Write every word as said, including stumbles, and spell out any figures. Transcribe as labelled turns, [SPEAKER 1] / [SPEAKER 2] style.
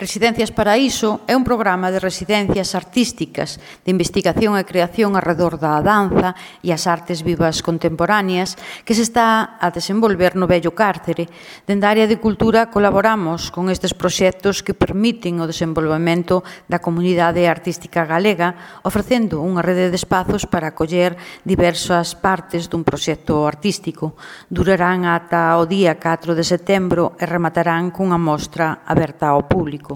[SPEAKER 1] Residencias Paraíso é un programa de residencias artísticas de investigación e creación arredor da danza e as artes vivas contemporáneas que se está a desenvolver no vello cárcere. Dende a área de cultura colaboramos con estes proxectos que permiten o desenvolvemento da comunidade artística galega, ofrecendo unha rede de espazos para acoller diversas partes dun proxecto artístico. Durarán ata o día catro de setembro e rematarán cunha mostra aberta ao público.